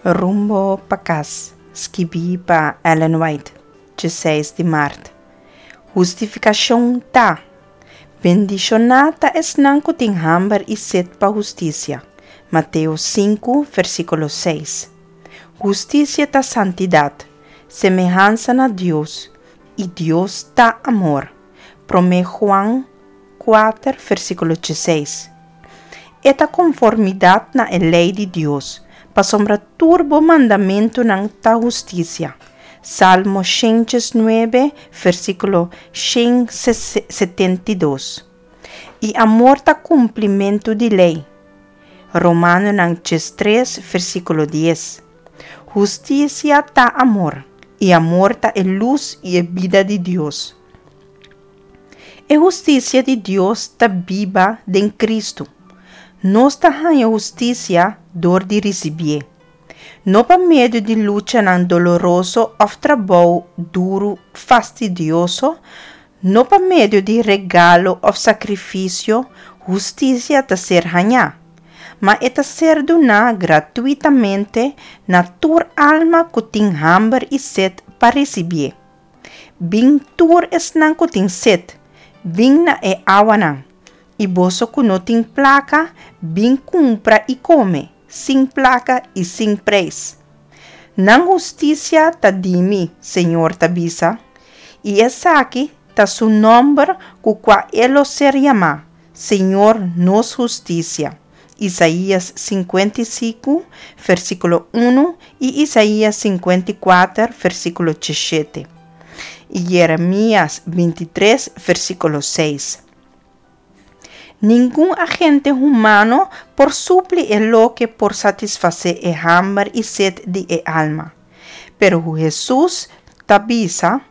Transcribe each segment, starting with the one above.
Rumbo pa kas, skibí pa Ellen White, 16 di mart. Hustifikashon ta, Bendishoná ta esnan ku tin hamber i set pa hustisia. Mateo 5, versíkulo 6. Hustisia ta santidat, semehansa na Dios, i Dios ta amor. Promé Juan 4, versíkulo 16. E ta konformidat na e lei di Dios, pasobra tur bo mandamentunan ta hustisia. Salmo 109, versíkulo 172. I amor ta kumplimentu di lei. Romanonan 3, versíkulo 10. Hustisia ta amor, i amor ta e lus i e bida di Dios. E hustisia di Dios ta biba den Kristu. Nos ta haña hustisia dor di risibié. No pa medio di luchanan doloroso òf trabou duru fastidioso, no pa medio di regalo òf sakrifisio hustisia ta ser hañá, ma e ta ser duná gratuitamente na tur alma ku tin hamber i set pa risibié. Bin tur esnan ku tin set, bin na e awanan, i boso ku no tin plaka, bin kumpra i kome, sin plaka i sin preis. Nan hustisia ta di mi, Señor ta bisa, i esaki ta su nòmber ku kua e lo ser yamá, Señor nos hustisia. Isaías 55, versíkulo 1 i Isaías 54, versíkulo 17. I Jeremías 23, versíkulo 6. Ningun agente humano por supli e loke por satisfasé e hamber i set di e alma. Pero Hesus ta bisa,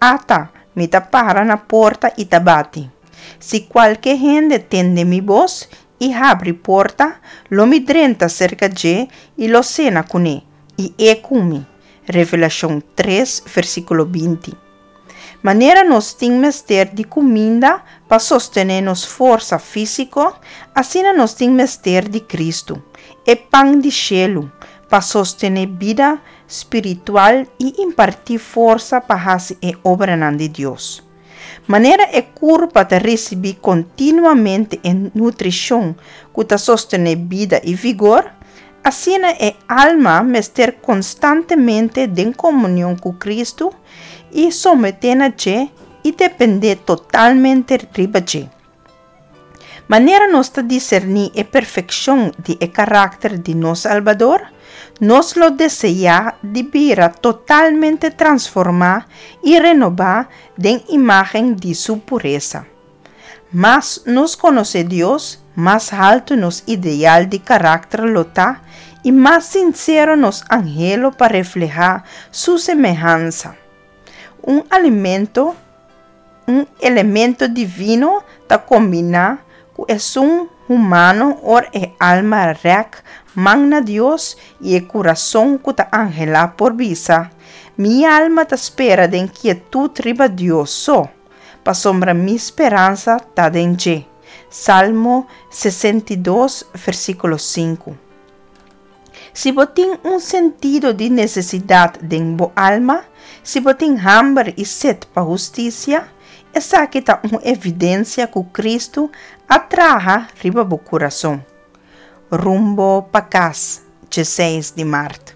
Ata, mi ta para na porta i ta bati. Si kualke hende tende mi bos i habri porta, lo mi drenta serka dje i lo sena kuné, i e ku mi. Revelashon 3, versíkulo 20. Manera nos tin mester di kuminda pa sostené nos forsa físiko, asina nos tin mester di Kristu, e pan di shelu, pa sostené bida spiritual i impartí forsa pa hasi e obranan di Dios. Manera e kurpa ta risibí kontinuamente e nutrishon ku ta sostené bida i vigor, asina e alma mester konstantemente den komunion ku Kristu i someté na dje i dependé totalmente riba dje. Manera nos ta diserní e perfekshon di e karakter di nos Salbador, nos lo deseá di bira totalmente transformá i renobá den imágen di Su puresa. Mas nos konosé Dios, mas haltu nos ideal di karakter lo ta i mas sinsero nos anhelo pa reflehá Su semehansa. Un alimento Un elemento divino ta kombiná ku esun humano ora e alma rèk man na Dios i e kurason ku ta anhelá por bisa, Mi alma ta spera den kietut riba Dios so, pasobra mi speransa ta den dje. Salmo 62, versíkulo 5. Si bo tin un sentido di nesesidat den bo alma, si bo tin hamber i set pa hustisia, esaki ta un evidensia ku Kristu a traha riba bo kurason. Rumbo pa kas, 16 di mart.